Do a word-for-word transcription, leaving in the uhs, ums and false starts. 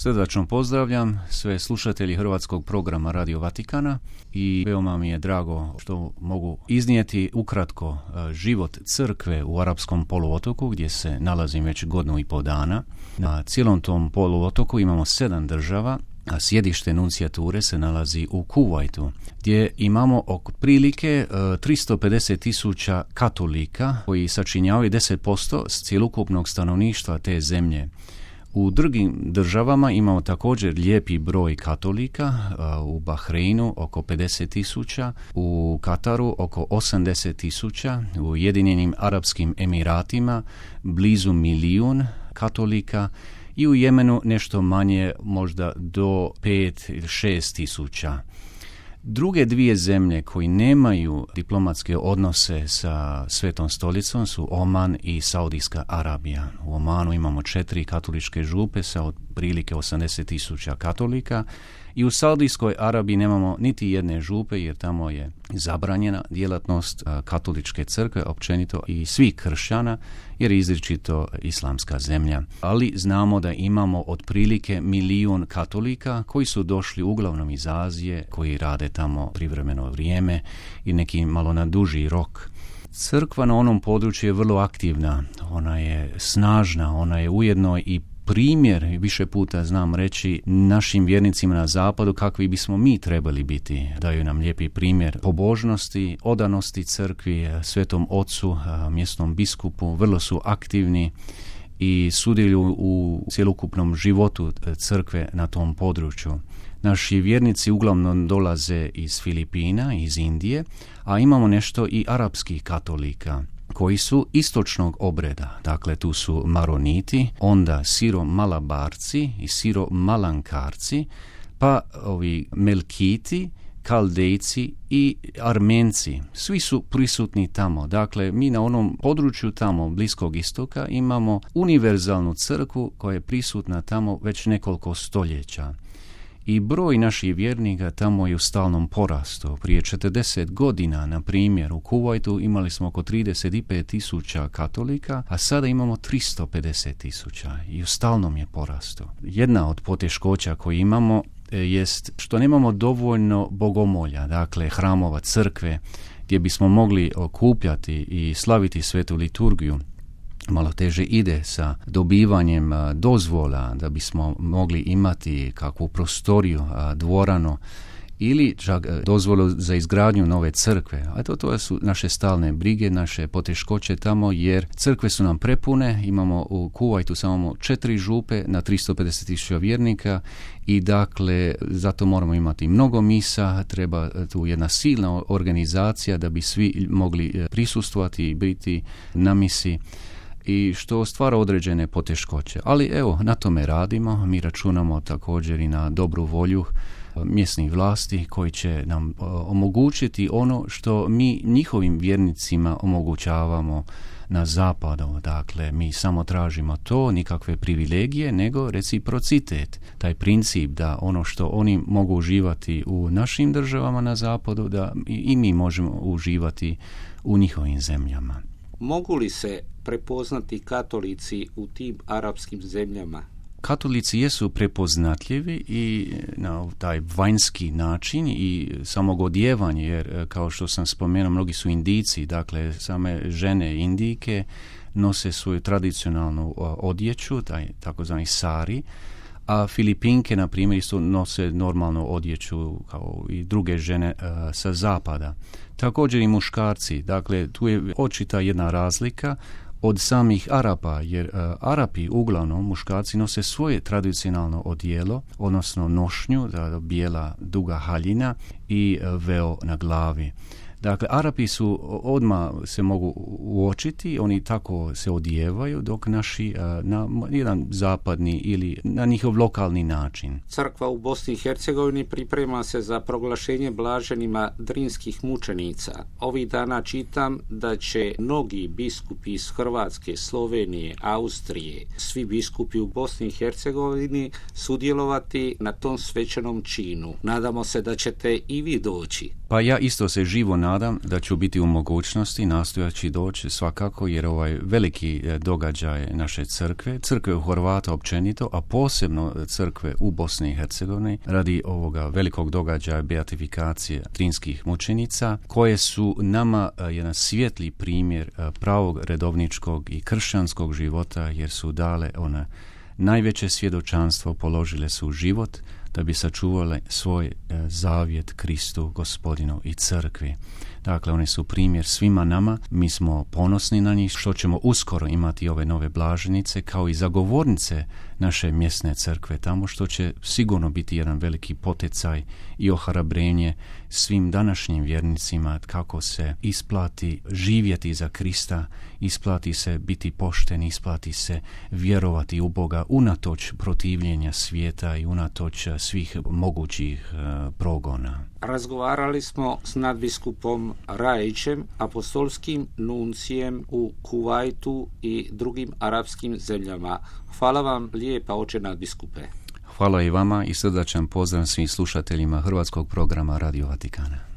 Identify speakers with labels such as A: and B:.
A: Srdačno pozdravljam sve slušatelji hrvatskog programa Radio Vatikana i veoma mi je drago što mogu iznijeti ukratko život crkve u arapskom poluotoku gdje se nalazim već godinu i pol dana. Na cijelom tom poluotoku imamo sedam država, a sjedište nuncijature se nalazi u Kuvajtu, gdje imamo otprilike tristo pedeset tisuća katolika koji sačinjavaju deset posto cjelokupnog stanovništva te zemlje. U drugim državama imamo također lijepi broj katolika, u Bahreinu oko pedeset tisuća, u Kataru oko osamdeset tisuća, u Ujedinjenim Arapskim Emiratima blizu milijun katolika i u Jemenu nešto manje, možda do pet ili šest tisuća. Druge dvije zemlje koji nemaju diplomatske odnose sa Svetom stolicom su Oman i Saudijska Arabija. U Omanu imamo četiri katoličke župe sa otprilike osamdeset tisuća katolika i u Saudijskoj Arabiji nemamo niti jedne župe jer tamo je zabranjena djelatnost katoličke crkve općenito i svih kršćana jer je izričito islamska zemlja. Ali znamo da imamo otprilike milijun katolika koji su došli uglavnom iz Azije, koji rade tamo privremeno vrijeme i neki malo na duži rok. Crkva na onom području je vrlo aktivna, ona je snažna, ona je ujedno i primjer, više puta znam reći, našim vjernicima na zapadu kakvi bismo mi trebali biti. Daju nam lijepi primjer pobožnosti, odanosti crkvi, Svetom Ocu, mjesnom biskupu, vrlo su aktivni i sudjeluju u cjelokupnom životu crkve na tom području. Naši vjernici uglavnom dolaze iz Filipina, iz Indije, a imamo nešto i arapskih katolika koji su istočnog obreda. Dakle, tu su Maroniti, onda Siro-Malabarci i Siro-Malankarci, pa ovi Melkiti, Kaldejci i Armenci. Svi su prisutni tamo. Dakle, mi na onom području tamo, Bliskog istoka, imamo univerzalnu crkvu koja je prisutna tamo već nekoliko stoljeća. I broj naših vjernika tamo je u stalnom porastu. Prije četrdeset godina, na primjer, u Kuvajtu imali smo oko trideset pet tisuća katolika, a sada imamo tristo pedeset tisuća i u stalnom je porastu. Jedna od poteškoća koje imamo jest što nemamo dovoljno bogomolja, dakle hramova, crkve, gdje bismo mogli okupljati i slaviti svetu liturgiju. Malo teže ide sa dobivanjem dozvola da bismo mogli imati kakvu prostoriju, dvoranu ili čak dozvolu za izgradnju nove crkve. A to, to su naše stalne brige, naše poteškoće tamo jer crkve su nam prepune, imamo u Kuvajtu samo četiri župe na tristo pedeset tisuća vjernika i dakle zato moramo imati mnogo misa, treba tu jedna silna organizacija da bi svi mogli prisustvovati i biti na misi, i što stvara određene poteškoće. Ali evo, na tome radimo, mi računamo također i na dobru volju mjesnih vlasti koji će nam omogućiti ono što mi njihovim vjernicima omogućavamo na zapadu. Dakle, mi samo tražimo to, nikakve privilegije, nego reciprocitet. Taj princip da ono što oni mogu uživati u našim državama na zapadu, da i mi možemo uživati u njihovim zemljama.
B: Mogu li se prepoznati katolici u tim arapskim zemljama?
A: Katolici jesu prepoznatljivi i na taj vanjski način i samog odjevanja, jer kao što sam spomenuo, mnogi su Indijci, dakle same žene Indijke nose svoju tradicionalnu odjeću, taj takozvani sari, a Filipinke, na primjer, isto nose normalnu odjeću kao i druge žene uh, sa zapada. Također i muškarci, dakle tu je očita jedna razlika od samih Arapa, jer uh, Arapi uglavnom, muškarci, nose svoje tradicionalno odijelo, odnosno nošnju, da, bijela duga haljina i uh, veo na glavi. Dakle, Arapi su odmah se mogu uočiti, oni tako se odijevaju, dok naši na jedan zapadni ili na njihov lokalni način.
B: Crkva u Bosni i Hercegovini priprema se za proglašenje blaženima drinskih mučenica. Ovih dana čitam da će mnogi biskupi iz Hrvatske, Slovenije, Austrije, svi biskupi u Bosni i Hercegovini sudjelovati na tom svečanom činu. Nadamo se da ćete i vi doći.
A: Pa ja isto se živo nadam da ću biti u mogućnosti nastojaći doći svakako, jer ovaj veliki događaj naše crkve, crkve u Horvata općenito, a posebno crkve u Bosni i Hercegovini, radi ovoga velikog događaja beatifikacije drinskih mučenica, koje su nama jedan svijetli primjer pravog redovničkog i kršćanskog života, jer su dale ona najveće svjedočanstvo, položile su život da bi sačuvale svoj e, zavjet Kristu, Gospodinu i crkvi. Dakle, oni su primjer svima nama, mi smo ponosni na njih, što ćemo uskoro imati ove nove blaženice, kao i zagovornice naše mjesne crkve tamo, što će sigurno biti jedan veliki poticaj i ohrabrenje svim današnjim vjernicima kako se isplati živjeti za Krista, isplati se biti pošten, isplati se vjerovati u Boga unatoč protivljenja svijeta i unatoč svih mogućih uh, progona.
B: Razgovarali smo s nadbiskupom Rajićem, apostolskim nuncijem u Kuvajtu i drugim arapskim zemljama. Hvala vam lijepa, oče nadbiskupe.
A: Hvala i vama i srdačan pozdrav svim slušateljima hrvatskog programa Radio Vatikana.